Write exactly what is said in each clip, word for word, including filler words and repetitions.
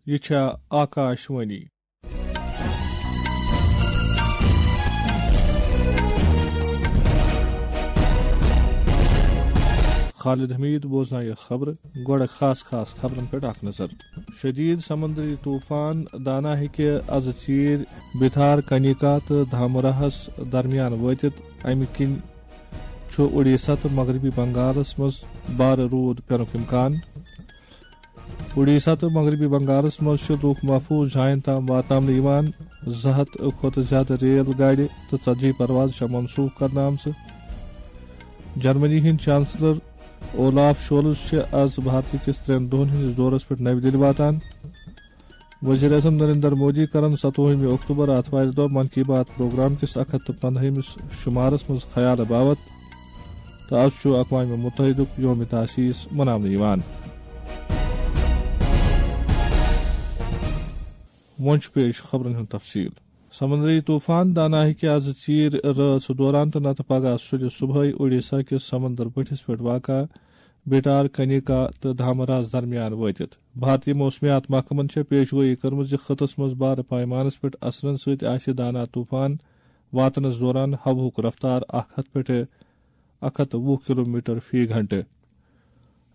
یہِ چھےٚ آکاش وانی۔ خالد حمید بوزنایہِ خبرٕ۔ گۄڈٕ خاص خاص خبرن پٮ۪ٹھ اکھ نظر۔ شدید سمندری طوفان دانا ہیٚکہِ از ژیٖرۍ بِتھار کنیکا تہٕ دھامراہس درمیان وٲتِتھ، امہِ کِنۍ چھُ اُڈیسا تہٕ مغربی بنگالس منٛز بارٕ روٗد پینُک امکان۔ اُڈیسا تہٕ مغربی بنگالس منٛز چھِ لوٗکھ محفوٗظ جاین تام واتناونہٕ یِوان۔ زٕ ہتھ کھۄتہٕ زیادٕ ریل گاڑِ تہٕ ژتجی پرواز چھےٚ منسوخ کرنہٕ آمژٕ۔ جرمنی ہٕنٛدۍ چانسلر اولاف شولز چھِ از بھارتہٕ کِس ترٛٮ۪ن دۄہن ہٕنٛدِس دورس پٮ۪ٹھ نَوِ دِلہِ واتان۔ وزیر اعظم نریندر مودی کرن ستووُہمہِ اکتوبر آتھوارِ دۄہ من کی بات پروگرام کِس اکھ ہتھ تہٕ پندہمِس شمارس منٛز خیال باوت، تہٕ از چھُ اقوام متحدُک یوم تاسیس مناونہٕ یِوان۔ وۄنۍ چھُ پیش خبرن ہُنٛد تفصیل۔ سمندری طوفان دانا ہیٚکہِ از ژیٖرۍ رٲژ دوران تہٕ نتہٕ پگاہ سُلہِ صبحٲے اوڈیشا کِس سمندر بٔٹھِس پٮ۪ٹھ واقع بیٹار کنیکا تہٕ دھامراہس درمیان وٲتِتھ۔ بھارتی موسمیات محکمن چھےٚ پیشگویی کٔرمٕژ زِ خطس منٛز بارٕ پیمانس پٮ۪ٹھ اثرن سۭتۍ آسہِ دانا طوفان واتنس دوران ہوہُک رفتار اکھ ہتھ پٮ۪ٹھٕ اکھ ہتھ تہٕ وُہ کلومیٹر فی گھنٹہٕ۔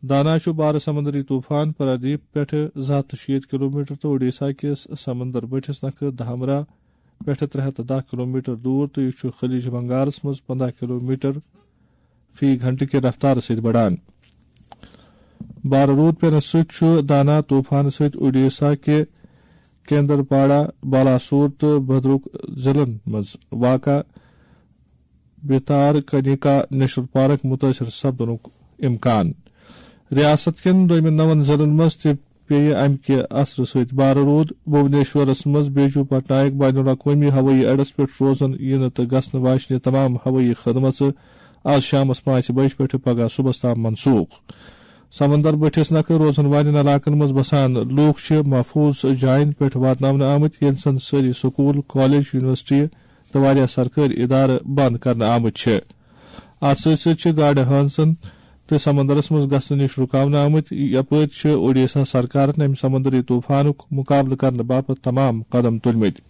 دانا چھُ بارٕ سمندری طوفان پرادیپ پٮ۪ٹھٕ زٕ ہتھ تہٕ شیٖتھ کلومیٹر تہٕ اوڈیشا کِس سمندر بٔٹھِس نکھٕ دھامرا پٮ۪ٹھٕ ترٛےٚ ہتھ تہٕ دَہ کلومیٹر دوٗر، تہٕ یہِ چھُ خلیج بنگالس منٛز پنٛداہ کلومیٹر فی گھنٹہٕ کہِ رفتارٕ سۭتۍ بڑان۔ بارٕ روٗد پینس سۭتۍ چھُ دانا طوفانہٕ سۭتۍ اوڈیشا کہِ کیندرپاڑا، بالاسور تہٕ بھدرک ضلعن منٛز واقع بیتار کنیکا نیشنل پارک متٲثر سپدنُک امکان۔ ریاست کٮ۪ن دوٚیمٮ۪ن نَوَن ضلعن منٛز تہِ پیٚیہِ امہِ کہِ اثرٕ سۭتۍ بارٕ روٗد۔ بھونیشورس منٛز بیجو پٹنایک بین الاقوٲمی ہوٲیی اڈس پٮ۪ٹھ روزن یِنہٕ تہٕ گژھنہٕ واجنہِ تمام ہوٲیی خدمژٕ از شامس پانٛژِ بجہِ پٮ۪ٹھٕ پگاہ صبحس تام منسوخ۔ سمندر بٔٹھِس نکھٕ روزن والٮ۪ن علاقن منٛز بسان لوٗکھ چھِ محفوظ جاین پٮ۪ٹھ واتناونہٕ آمٕتۍ، ییٚلہِ زن سٲری سکوٗل، کالج، یونیورسٹی تہٕ واریاہ سرکٲرۍ ادارٕ بند کرنہٕ آمٕتۍ چھِ۔ اتھ سۭتۍ سۭتۍ چھِ گاڈٕ ہٲنزن تہٕ سمندرس منٛز گژھنہٕ نِش رُکاونہٕ آمٕتۍ۔ یپٲرۍ چھِ اوڈیشا سرکارن امہِ سمندری طوفانُک مقابلہٕ کرنہٕ باپتھ تمام قدم تُلمٕتۍ۔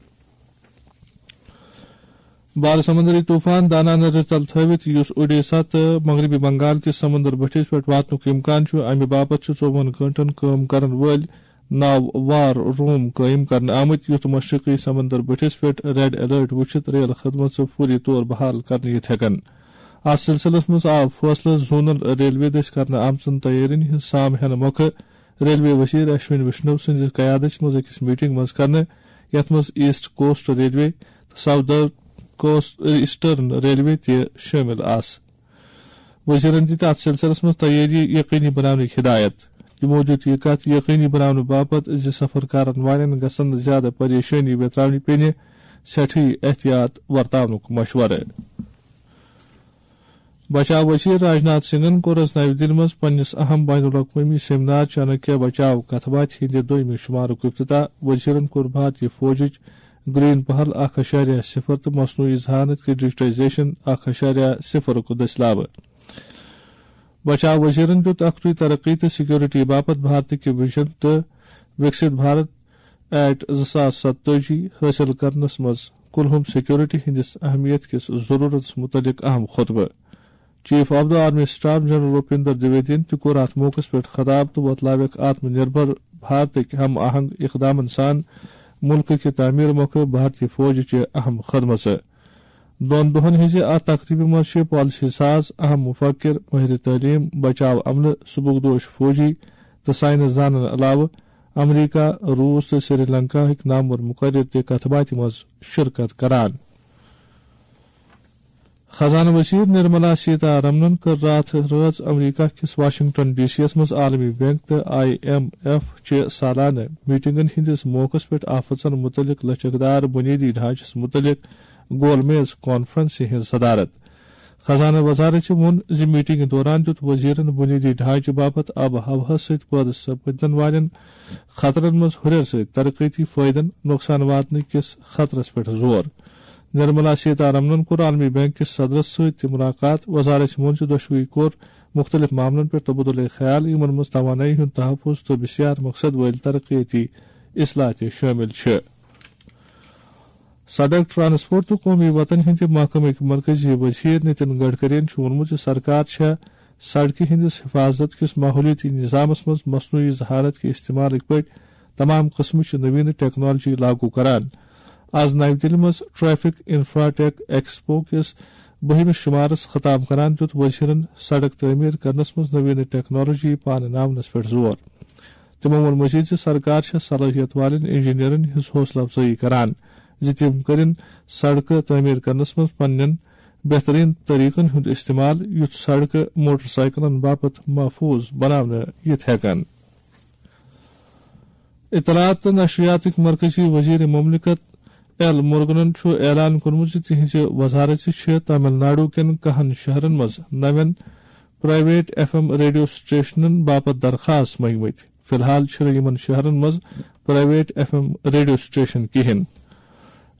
بارٕ سمندری طوفان دانا نظرِ تل تھٲوِتھ، یُس اوڈیشا تہٕ مغربی بنگال کِس سمندر بٔٹھِس پٮ۪ٹھ واتنُک امکان چھُ، امہِ باپتھ چھِ ژوٚوُہن گٲنٹن کٲم کرن وٲلۍ ناو وار روم قٲیِم کرنہٕ آمٕتۍ، یُتھ مشرقی سمندر بٔٹھِس پٮ۪ٹھ ریڈ الرٹ وُچھِتھ ریل خدمژٕ فوری طور بحال کرنہٕ یِتھ ہٮ۪کن۔ اتھ سلسلس منٛز آو فٲصلہٕ زونل ریلوے دٔسۍ کرنہٕ آمژن تیٲرین ہٕنٛز سام ہٮ۪نہٕ مۄکھٕ ریلوے وزیر اشونی ویشنو سٕنٛزِ قیادتس منٛز أکِس میٹنگ منٛز کرنہٕ، یتھ منٛز ایسٹ کوسٹ ریلوے تہٕ ساؤدرن کوسٹ، ایسٹرن ریلوے تہِ شٲمِل آسہٕ۔ وزیرن دِتۍ اتھ سلسلس منٛز تیٲری یقینی بناونٕچ ہدایت۔ تِمو دِیُت یہِ کتھ یقینی بناونہٕ باپتھ زِ سفر کرن والٮ۪ن گژھن نہٕ زیادٕ پریشٲنی ویتراونہِ پینہِ، سٮ۪ٹھٕے احتیاط ورتاونُک مشورٕ۔ بچاو وزیر راجناتھ سنگھن کوٚر از نَوِ دِلہِ منٛز پننِس اہم بین الاقوٲمی سیمینار چانکیہ بچاو کتھ باتھِ ہٕنٛدِ دوٚیمہِ شمارُک افتتاح۔ وزیرن کوٚر بھارتی فوجٕچ گرین پہل اکھ اعشاریہ صفر تہٕ مصنوعی ذہانت کہِ ڈیجیٹائزیشن اکھ اعشاریہ صفرُک دٔسۍ لابہٕ۔ بچاو وزیرن دیُت اختی ترقی تہٕ سیکورٹی باپتھ بھارتٕکہِ ویژن تہٕ وکسِت بھارت ایٹ زٕ ساس ستٲجی حٲصِل کرنس منٛز کُلہُم سیکورٹی ہٕنٛدِس اہمیت کِس ضروٗرتس مُتعلق اہم خطبہٕ۔ Chief of the army staff general Rupinder Dwivedi تہِ کوٚر اتھ موقعس پٮ۪ٹھ خطاب تہٕ وۄتلٲوکھ آتم نربھر بھارتٕکۍ ہم آہنگ اقدامن سان مُلکہٕ کہِ تعمیٖر مۄکھٕ بھارتی فوجٕچہِ اہم خدمژٕ۔ دۄن دۄہن ہٕنٛزِ اتھ تقریبہِ منٛز چھِ پالیسی ساز، اہم مفکر، مٲہرِ تعلیٖم، بچاو عملہٕ، سبکدوش فوجی تہٕ ساینس دانن علاوٕ امریکہ، روٗس تہٕ سری لنکاہٕکۍ نامور مقرر تہِ کتھ باتھِ منٛز شرکت کران۔ خزانہٕ وزیر نرملا سیتا رمنن کٔر راتھ رٲژ امریکہ کِس واشنگٹن ڈی سی یَس منٛز عالمی بینک تہٕ آئی ایم ایف چہِ سالانہٕ میٹنگن ہٕنٛدِس موقعس پٮ۪ٹھ آفژن مُتعلق لچکدار بنیٲدی ڈھانچس مُتعلق گول میز کانفرنسہِ ہٕنٛز صدارت۔ خزانہٕ وزارت چھِ ووٚن زِ میٹنگہِ دوران دیُت وزیرن بنیٲدی ڈھانچہٕ باپتھ آب و ہوہَس سۭتۍ پٲدٕ سپدن والٮ۪ن خطرن منٛز ہُرٮ۪ر سۭتۍ ترقیتی فٲیدن نۄقصان واتنہٕ کِس خطرس پٮ۪ٹھ زور۔ نرملا سیتا رمنن کوٚر عالمی بینک کِس صدرس سۭتۍ تہِ ملاقات۔ وزارت چھِ ووٚن زِ دۄشوٕے کوٚر مُختٔلِف معاملن پٮ۪ٹھ تبادلہ خیال، یِمن منٛز توانٲیی ہُنٛد تحفظ تہٕ بسیار مقصد وٲلۍ ترقیتی اصلاح تہِ شٲمِل چھِ۔ سڑک ٹرانسپورٹ تہٕ قومی وتن ہٕنٛدِ محکمٕکۍ مرکزی وزیر نتن گڈکرین چھُ ووٚنمُت زِ سرکار چھےٚ سڑکہِ ہٕنٛدِس حفاظت کِس ماحولیٲتی نظامس منٛز مصنوعی ذہانت کہِ استعمالٕکۍ پٲٹھۍ تمام قٕسمٕچ نوینہٕ ٹیکنالوجی لاگو کران۔ از نَوِ دِلہِ منٛز ٹریفک انفراٹیک ایکسپو کِس بٔہمِس شُمارس خطاب کران دیُت وزیرن سڑک تعمیر کرنس منٛز نوینہٕ ٹیکنالوجی پانہٕ ناونس پٮ۪ٹھ زور۔ تِمو ووٚن مزید زِ سرکار چھےٚ صلٲحیت والٮ۪ن انجینئرن ہٕنٛز حوصلہٕ افزٲیی کران زِ تِم کٔرِن سڑکہٕ تعمیر کرنس منٛز پننٮ۪ن بہترین طریقن ہُنٛد استعمال، یُتھ سڑکہٕ موٹر سائیکلن باپتھ محفوظ بناونہٕ یِتھ ہٮ۪کن۔ اطلاعات تہٕ نشریاتٕکۍ مرکزی وزیر مملکت ایل مرگنن چھُ اعلان کوٚرمُت زِ تِہنٛزِ وزارژِ چھِ تامل ناڈو کٮ۪ن کہن شہرن منٛز نوٮ۪ن پرائیویٹ ایف ایم ریڈیو سٹیشنن باپتھ درخاست منٛگمٕتۍ۔ فی الحال چھِنہٕ یِمن شہرن منٛز private F M radio station کِہیٖنۍ۔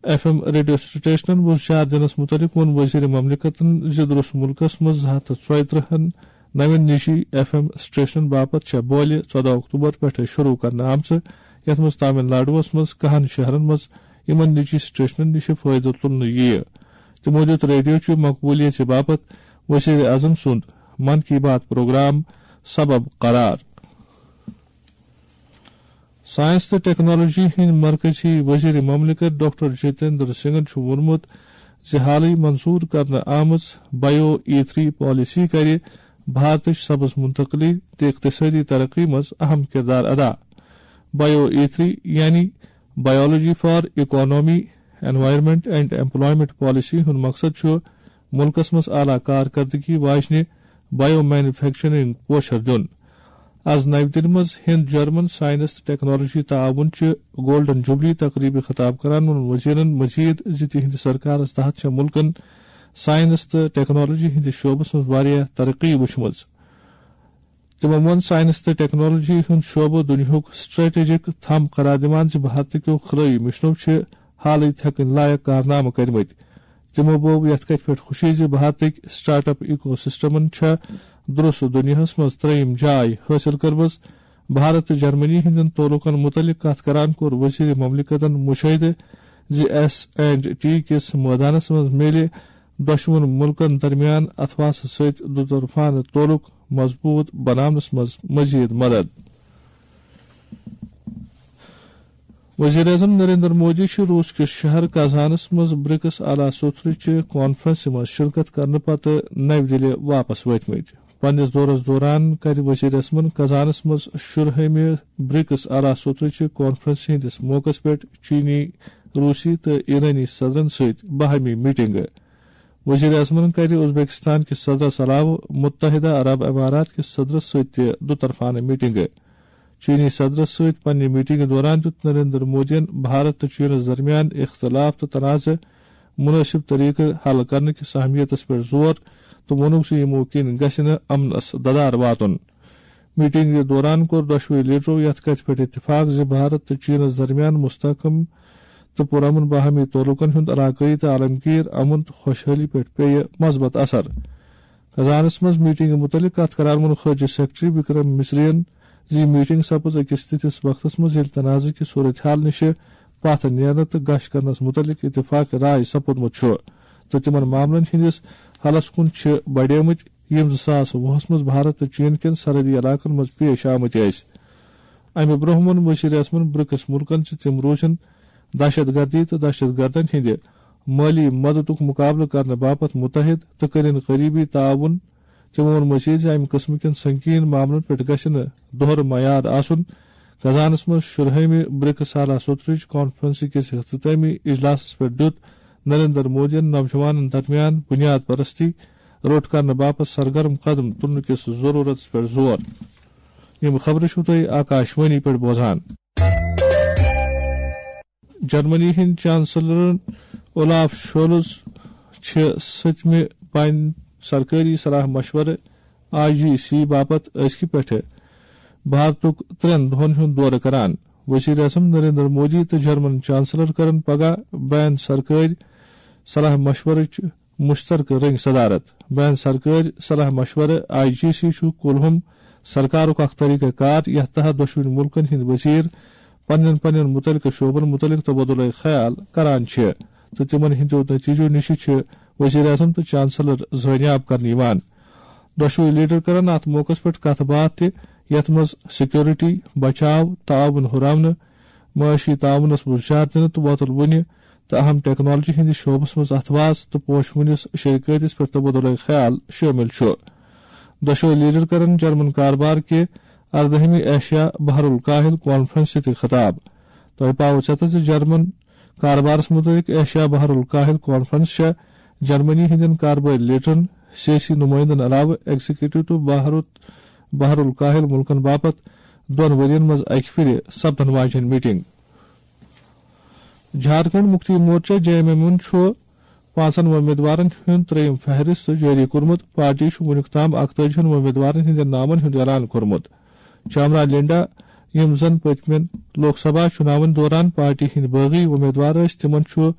ایف ایم ریڈیو سٹیشنن وُزجار دِنس مُتعلق ووٚن وزیر مملکتن زِ درس مُلکس منٛز زٕ ہتھ تہٕ ژۄیہِ ترٕٛہن نوٮ۪ن نجی ایف ایم سٹیشنن باپتھ چھےٚ بولہِ ژۄدہ اکتوبر پٮ۪ٹھٕ شروع کرنہٕ آمژٕ، یتھ منٛز تامل ناڈوس منٛز کہن شہرن منٛز یِمن نجی سٹیشنن نِش فٲیدٕ تُلنہٕ یِیہِ۔ تِمو دیُت ریڈیو چہِ مقبولیژِ باپتھ وزیر اعظم سُنٛد من کی بات پروگرام سبب قرار۔ سائنس تہٕ ٹیکنالوجی ہٕنٛدۍ مرکزی وزیر مملکت ڈاکٹر جتیندر سنگھن چھُ ووٚنمُت زِ حالٕے منظور کرنہٕ آمٕژ بایو ای تھری پالیسی کرِ بھارتٕچ سبز منتقلی تہٕ اقتصٲدی ترقی منٛز اہم کردار ادا۔ بایو ای تھری یعنی biology for economy, environment and employment policy ہُنٛد مقصد چھُ مُلکَس منٛز اعلیٰ کارکردگی واجنہِ بایو مینوفیکچرنگ پوچھر دیُن۔ از نَوِ دِلہِ منٛز ہند جرمن سائنس تہٕ ٹیکنالوجی تعاون چہِ گولڈن جوبلی تقریبہِ خطاب کران ووٚن وزیرن مزید زِ تِہنٛدِ سرکارس تحت چھےٚ مُلکن سائنس تہٕ ٹیکنالوجی ہٕنٛدِس شعبس منٛز واریاہ ترقی وٕچھمٕژ۔ تِمو ووٚن سائنس تہٕ ٹیکنالوجی ہُنٛد شعبہٕ دُنیاہُک سٹریٹجک تھم قرار دِوان زِ بھارتٕکیو خلٲیی مشنو چھِ حالٕے تھٮ۪کٕنۍ لایق کارنامہٕ کٔرمٕتۍ۔ تِمو بوو یتھ کتھِ پٮ۪ٹھ خوشی زِ بھارتٕکۍ سٹارٹ اپ ایکو سسٹمن چھےٚ درست دُنیاہس منٛز ترٛیٚیِم جاے حٲصِل کٔرمٕژ۔ بھارت تہٕ جرمنی ہٕنٛدٮ۪ن تعلقن مُتعلق کتھ کران کوٚر وزیر مملکتن مشاہدٕ زِ ایس اینڈ ٹی کِس مٲدانس منٛز میلہِ دۄشوٕنۍ مُلکن درمیان اتھواسہٕ سۭتۍ دُطرفانہٕ تعلق مضبوط بناونس منٛز مزید مدد۔ وزیر اعظم نریندر مودی چھُ روس کِس شہر کازانس منٛز برکس اعلیٰ سوتھرٕچہِ کانفرنسہِ منٛز شرکت کرنہٕ پتہٕ نَوِ دِلہِ واپس وٲتمٕتۍ۔ پننِس دورس دوران کرِ وزیر اعظمن کازانس منٛز شُرہٲمہِ برکس اعلیٰ سوتھرٕچہِ کانفرنسہِ ہٕنٛدِس موقعس پٮ۪ٹھ چینی، روسی تہٕ ایرانی صدرن سۭتۍ باہمی میٹنگہٕ۔ وزیر اعظمن کرِ ازبکستان کِس صدرس علاوٕ متحدہ عرب امارات کِس صدرس سۭتۍ تہِ دُطرفانہٕ میٹنگہٕ۔ چینی صدرس سۭتۍ پننہِ میٹنگہِ دوران دیُت نریندر مودیَن بھارت تہٕ چینس درمیان اختلاف تہٕ تنازعہٕ مناسب طریقہٕ حل کرنہٕ کِس اہمیتس پٮ۪ٹھ زور تہٕ ووٚنُکھ زِ یِمو کِنۍ گژھِ نہٕ امنس ددار واتُن۔ میٹنگہِ دوران کوٚر دۄشوٕے لیڈرو یتھ کتھِ پٮ۪ٹھ اتفاق زِ بھارت تہٕ چینس درمیان مستحکم تہٕ پرامن باہمی تعلقن ہُنٛد علاقٲیی تہٕ عالمگیر امن تہٕ خۄشحٲلی پٮ۪ٹھ پیٚیہِ مثبت اثر۔ کازانس منٛز میٹنگہِ مُتعلق کتھ کران ووٚن خارجہ سیکرٹری وکرم مصرین زِ یہِ میٹنگ سپٕز أکِس تِتھِس وقتس منٛز ییٚلہِ تنازعہٕ کہِ صورتحال نِشہِ پتھ نیرنہٕ تہٕ گش کرنس مُتعلق اتفاق رائے سپُدمُت چھُ تہٕ تِمن معاملن ہٕنٛدِس حلس کُن چھِ بڑیمٕتۍ، یِم زٕ ساس وُہس منٛز بھارت تہٕ چین کٮ۪ن سرحدی علاقن منٛز پیش آمٕتۍ ٲسۍ۔ امہِ برونٛہہ ووٚن وزیر اعظمن برکس مُلکن زِ تِم روزن دہشت گردی تہٕ دہشت گردن ہٕنٛدِ مٲلی مددُک مُقابلہٕ کرنہٕ باپتھ مُتحد تہٕ کٔرِن قریبی تعاون۔ تِمو ووٚن مزید زِ امہِ قٕسمہٕ کٮ۪ن سنگین معاملن پٮ۪ٹھ گژھِ نہٕ دوہرٕ معیار آسُن۔ کازانس منٛز شُرہٲمہِ برکس اعلیٰ سوترٕچ کانفرنسہِ کِس اختتٲمی اجلاسس پٮ۪ٹھ دیُت نریندر مودیَن نوجوانن درمیان بنیاد پرستی روٚٹ کرنہٕ باپتھ سرگرم قدم تُلنہٕ کِس ضروٗرتس پٮ۪ٹھ زور۔ یِم خبرٕ چھِو تُہۍ آکاشوانی پٮ۪ٹھ بوزان۔ جرمنی ہٕنٛدۍ چانسلر اولاف شولز چھِ سٔتمہِ بین سرکٲری صلاح مشورٕ آئی جی سی باپتھ أزکہِ پٮ۪ٹھٕ بھارتُک ترٛٮ۪ن دۄہن ہُنٛد دورٕ کران۔ وزیر اعظم نریندر مودی تہٕ جرمن چانسلر کرن پگاہ بین سرکٲرۍ صلاح مشورٕچ مشترکہٕ رٔنگۍ صدارت۔ بین سرکٲرۍ صلاح مشورٕ آئی جی سی چھُ کُلہُم سرکارُک اکھ طریقہ کار، یتھ تحت دۄشوٕنی مُلکن ہٕنٛدۍ وزیر پننٮ۪ن پننٮ۪ن متعلقہٕ شعبن متعلق تبادلہ خیال کران چھِ تہٕ تِمن ہٕنٛدیو نتیجو نِش چھِ وزیر اعظم تہٕ چانسلر زٲنیاب کرنہٕ یِوان۔ دۄشوٕے لیڈر کرن اتھ موقعس پٮ۪ٹھ کتھ باتھ تہِ، یتھ منٛز سیکورٹی، بچاو، تعاون ہُراونہٕ، معاشی تعاونس منٛز ہُشار دِنہٕ تہٕ وۄتل وُنہِ تہٕ اہم ٹیکنالوجی ہٕنٛدِس شعبس منٛز اتھواس تہٕ پوشہٕ وُنِس شراکتس پٮ۪ٹھ تبادلہ خیال شٲمِل چھُ۔ دۄشوٕے لیڈر کرن جرمن کاربار کہِ اردہمہِ ایشیا بحر الکاہل کانفرنس تہِ خطاب۔ تۄہہِ پاوو ژیتس زِ جرمن کاربارس متعلق ایشیا بحر الکاہل کانفرنس چھےٚ جرمنی ہٕنٛدٮ۪ن کاربٲرۍ لیڈرن، سیٲسی نمٲیندن علاوٕ ایگزیکٹو تہٕ بحر بحر الکاہل ملکن باپتھ دۄن ؤرین منٛز اکہِ پھرِ سپدن واجیٚنۍ meeting. Jharkhand Mukti Morcha, J M M, چھُ پانٛژن وۄمیدوارن ہُنٛد ترٛیٚیِم فہرست جٲری کوٚرمُت۔ پارٹی چھُ وُنیُک تام اکتٲجی ہن وۄمیدوارن ہٕنٛدٮ۪ن ناون ہُنٛد اعلان کوٚرمُت۔ چامرا لینڈا، یِم زَن پٔتمٮ۪ن لوک سبھا چُناون دوران پارٹی ہٕنٛدۍ بٲغی وۄمیدوار ٲسۍ، تِمن چھُ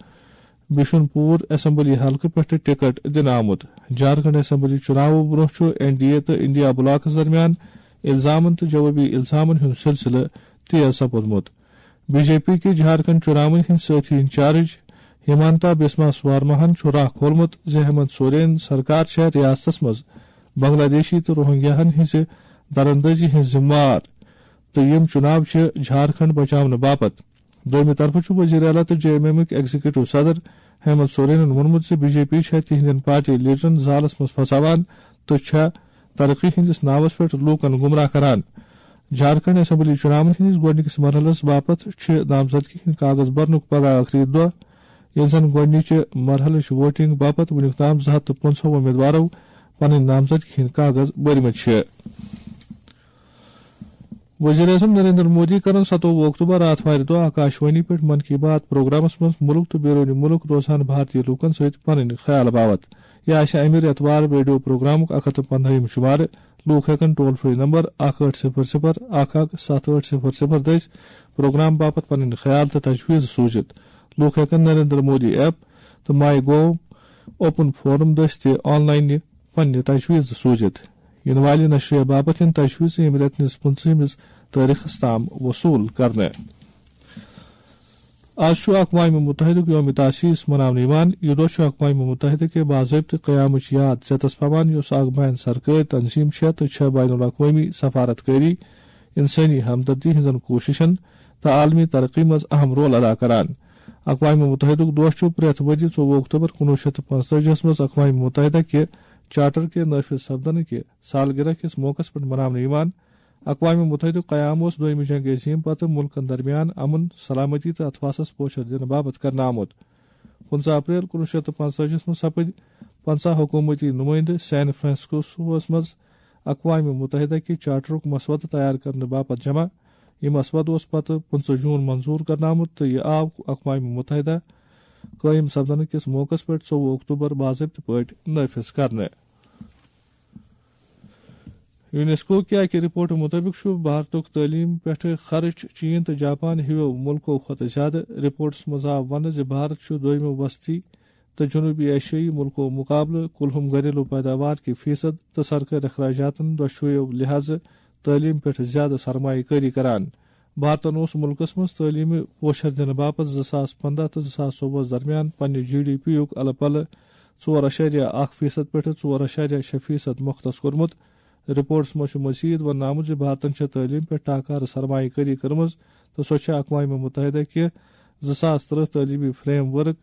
بشن پور اسمبلی حلقہٕ پٮ۪ٹھٕ ٹکٹ دِنہٕ آمُت۔ جھارکھنڈ اسمبلی چُناوو برٛونٛہہ چھُ این ڈی اے تہٕ انڈیا بلاکس درمیان الزامن تہٕ جوابی الزامن ہُنٛد سلسلہٕ تیز سپُدمُت۔ بی جے پی کہِ جھارکھنڈ چُناون ہٕنٛدۍ سٲتھی انچارج ہمانتا بسما سوارماہن چھُ راہ کھولمُت زِ ہیمنت سورین سرکار چھےٚ ریاستس منٛز بنگلہ دیشی تہٕ روہنگیاہن ہٕنٛزِ دراندازی ہٕنٛز ذمہٕ وار تہٕ یِم چُناو چھِ جھارکھنڈ بچاونہٕ باپتھ۔ دوٚیمہِ طرفہٕ چھُ وزیر اعلیٰ تہٕ جے ایم ایمٕکۍ ایگزیکٹو صدر ہیمنت سورینن ووٚنمُت زِ بی جے پی چھےٚ تِہنٛدٮ۪ن پارٹی لیڈرن زالس منٛز پھساوان تہٕ چھےٚ ترقی ہٕنٛدِس ناوس پٮ۪ٹھ لوٗکن گمراہ کران۔ جھارکھنڈ اسمبلی چُناون ہٕنٛدِس گۄڈٕنِکِس مرحلس باپتھ چھِ نامزدگی ہٕنٛدۍ کاغذ برنُک پگاہ ٲخری دۄہ، ییٚلہِ زن گۄڈٕنِچہِ مرحلٕچ ووٹنگ باپتھ وُنیُک تام زٕ ہتھ تہٕ پٕنٛژٕہ امیدوارو پنٕنۍ نامزدگی ہٕنٛدۍ کاغذ بٔرمٕتۍ چھِ۔ وزیر اعظم نریندر مودی کرن ستووُہ اکتوبر آتھوارِ دۄہ آکاشوانی پٮ۪ٹھ من کی بات پروگرامس منٛز مُلک تہٕ بیرونِ مُلک روزان بھارتی لوٗکن سۭتۍ پنٕنۍ خیال باوتھ۔ یہِ آسہِ امہِ رٮ۪تہٕ وار ریڈیو پروگرامُک اکھ ہتھ تہٕ پندہٲیِم شمارٕ۔ لوٗکھ ہٮ۪کن ٹول فری نمبر اکھ ٲٹھ صفر صفر اکھ اکھ ستھ ٲٹھ صفر صفر دٔسۍ پروگرام باپتھ پنٕنۍ خیال تہٕ تجویز سوٗزِتھ۔ لوٗکھ ہٮ۪کن نریندر مودی ایپ تہٕ ماے گوو اوپن فورم دٔسۍ تہِ آن لاینہِ پننہِ تجویز سوٗزِتھ۔ یِنہٕ والہِ نشریہ باپتھ یِن تجویز ییٚمہِ رٮ۪تہٕ نِس پٕنٛژٕہمِس تٲریخس تام وصوٗل کرنہٕ۔ آز چھُ اقوام متحدُک یوم تاسیس مناونہٕ یِوان۔ یہِ دۄہ چھُ اقوام متحدہ کہِ باضٲبطہٕ قیامٕچ یاد ژیتس پاوان، یۄس اکھ بین سرکٲرۍ تنظیٖم چھےٚ تہٕ چھےٚ بین الاقوٲمی سفارت کٲری، انسٲنی ہمدردی ہٕنٛزن کوٗششن تہٕ عالمی ترقی منٛز اہم رول ادا کران۔ اقوام متحدُک دۄہ چھُ پرٛٮ۪تھ ؤرۍ یہِ ژوٚوُہ اکتوبر کُنوُہ شیٚتھ تہٕ پانٛژتٲجی ہس منٛز اقوام متحدہ کہِ چارٹر کہِ نافذ سپدنہٕ کہِ سالگرہ کِس موقعس پٮ۪ٹھ مناونہٕ یِوان۔ اقوام متحدُک قیام اوس دوٚیمہِ جنگ عظیم پتہٕ مُلکن درمیان امن، سلامتی تہٕ اتھواسس پوچھر دِنہٕ باپتھ کرنہٕ آمُت۔ پٕنٛژٕہ اپریل کُنوُہ شیٚتھ تہٕ پانٛژتٲجی ہس منٛز سپٕدۍ پنٛژاہ حکوٗمتی نُمٲیندٕ سین فرانسسکوس منٛز اقوام متحدہ کہِ چارٹرُک مسودٕ تیار کرنہٕ باپتھ جمع۔ یہِ مسودٕ اوس پتہٕ پٕنٛژٕہ جوٗن منظوٗر کرنہٕ آمُت تہٕ یہِ آو اقوام متحدہ قٲیِم سپدنہٕ کِس موقعس پٮ۪ٹھ ژوٚوُہ اکتوبر باضٲبطہٕ پٲٹھۍ نافذ کرنہٕ۔ یونیسکو کہِ اکہِ رپورٹہٕ مُطٲبِق چھُ بھارتُک تعلیٖم پٮ۪ٹھ خرٕچ چین تہٕ جاپان ہِویو مُلکو کھۄتہٕ زیادٕ۔ رپورٹس منٛز آو وننہٕ زِ بھارت چھُ دوٚیمہِ وسطی تہٕ جنوبی ایشیائی مُلکو مُقابلہٕ کُلہُم گھریلو پیداوار کہِ فیصد تہٕ سرکٲرۍ اخراجاتن دۄشوٕیو لحاظہٕ تعلیٖم پٮ۪ٹھ زیادٕ سرمایہ کٲری کران۔ بھارتن اوس مُلکس منٛز تعلیٖمہِ پوچھر دِنہٕ باپتھ زٕ ساس پنٛداہ تہٕ زٕ ساس ژوٚوُہس درمیان پننہِ جی ڈی پی یُک الہٕ پلہٕ ژور اَشاریہ اکھ فیصد پٮ۪ٹھٕ ژور اَشاریہ شےٚ فیصد مختص کوٚرمُت۔ رپورٹس منٛز چھُ مزید وننہٕ آمُت زِ بھارتن چھےٚ تعلیٖم پٮ۪ٹھ ٹاکارٕ سرمایہ کٲری کٔرمٕژ تہٕ سۄ چھےٚ اقوام متحدہ کہِ زٕ ساس ترٕٛہ تعلیٖمی فریم ورک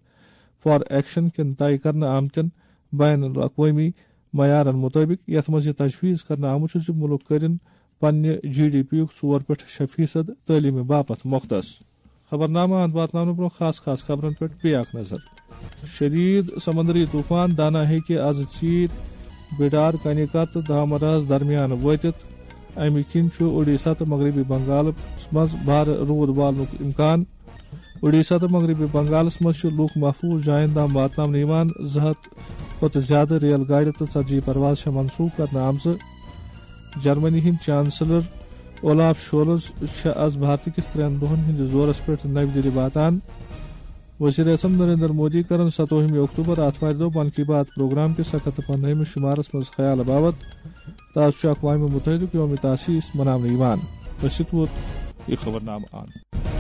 فار ایکشن کٮ۪ن طے کرنہٕ آمتٮ۪ن بین الاقوٲمی معیارن مُطٲبِق، یَتھ منٛز یہِ تجویز کرنہٕ آمُت چھُ زِ مُلک کٔرِن پننہِ جی ڈی پی یُک ژور پٮ۪ٹھ شےٚ فیصد تعلیٖمہِ باپتھ مختص۔ خبرنامہٕ اند واتناونہٕ برٛونٛہہ خاص خاص خبرن پٮ۪ٹھ بیٚیہِ اکھ نظر۔ شدید سمندری طوفان دانا ہیٚکہِ از ژیٖرۍ بِڈار، کنیکا تہٕ دھامراہس درمیان وٲتِتھ۔ امہِ کِنۍ چھُ اوڈیشہ تہٕ مغربی بنگالس منٛز بھارٕ روٗد والنُک امکان۔ اوڈیشہ تہٕ مغربی بنگالس منٛز چھِ لوٗکھ محفوٗظ جاین تام واتناونہٕ یِوان۔ زٕ ہتھ کھۄتہٕ زیادٕ ریل گاڑِ تہٕ ژتجی پرواز چھےٚ منسوٗخ کرنہٕ آمژٕ۔ جرمنی ہٕنٛدۍ چانسلر اولاف شولز چھِ از بھارت کِس ترٛٮ۪ن دۄہن ہٕنٛدِس دورس پٮ۪ٹھ نَوِ دِلہِ واتان۔ وزیر اعظم نریندر مودی کرن ستووُہمہِ اکتوبر آتھوارِ دۄہ من کی بات پروگرام کِس اکھ ہتھ تہٕ پندہٲیمِس شُمارس منٛز خیال باوت۔ تہٕ از چھُ اقوام متحدُک یوم تاسیس مناونہٕ یِوان۔ أسۍ چھِ ووت یہِ خبرنامہٕ اند۔